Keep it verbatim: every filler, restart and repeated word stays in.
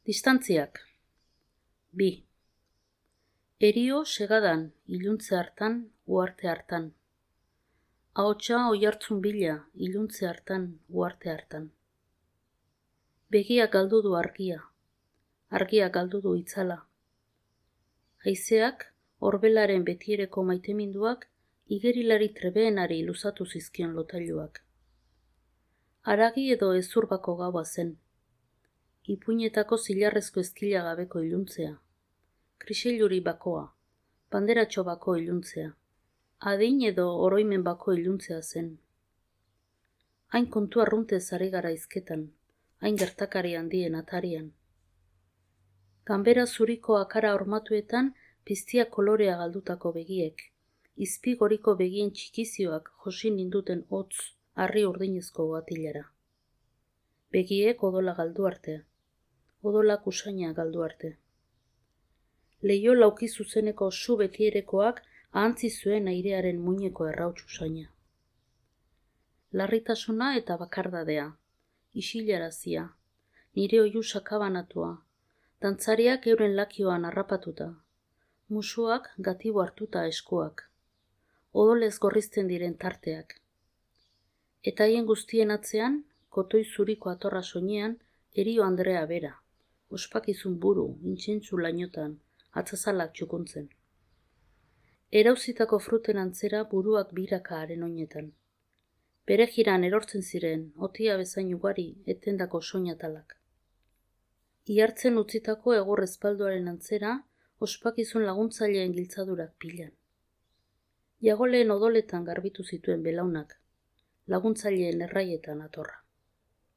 Distantziak. Bi. Erio segadan, iluntze hartan, uarte hartan. Ahotsa oihartzun bila, iluntze hartan, uarte hartan. Begiak galdu du argia, argiak galdu du itzala. Haizeak, orbelaren betiereko maiteminduak, igerilari trebeenari luzatu zizkion lotailuak. Haragi edo ezurbako gaua zen. Ipuinetako zilarrezko ezkila gabeko iluntzea. Krisiluri bakoa, banderatxo bako iluntzea. Adin edo oroimen bako iluntzea zen. Hain kontu arruntez ari gara izketan, hain gertakari handien atarian. Ganbera zuriko akara hormatuetan piztia kolorea galdutako begiek, izpigoriko begien txikizioak josin ninduten hotz harri urdinezko goatilara. Begiek odola galdu arte, odolak usaina galdu arte. Leio lauki zuzeneko su betierekoak ahantzi zuen airearen muineko errauts usaina. Larritasuna eta bakardadea, isilarazia, nire oihu sakabanatua, dantzariak euren lakioan harrapatuta, musuak gatibo hartuta eskuak, odolez gorrizten diren tarteak. Eta haien guztien atzean, kotoi zuriko atorra soinean, Erio Andrea bera, ospakizun buru, intsentsu lainotan, atzazalak txukuntzen. Erauzitako fruten antzera buruak biraka haren oinetan. Bere jiran erortzen ziren, otia bezain ugari, etendako soinatalak. Ihartzen utzitako egor espalduaren antzera, ospakizun laguntzaileen giltzadurak pilan. Jagoleen odoletan garbitu zituen belaunak, laguntzaileen erraietan atorra.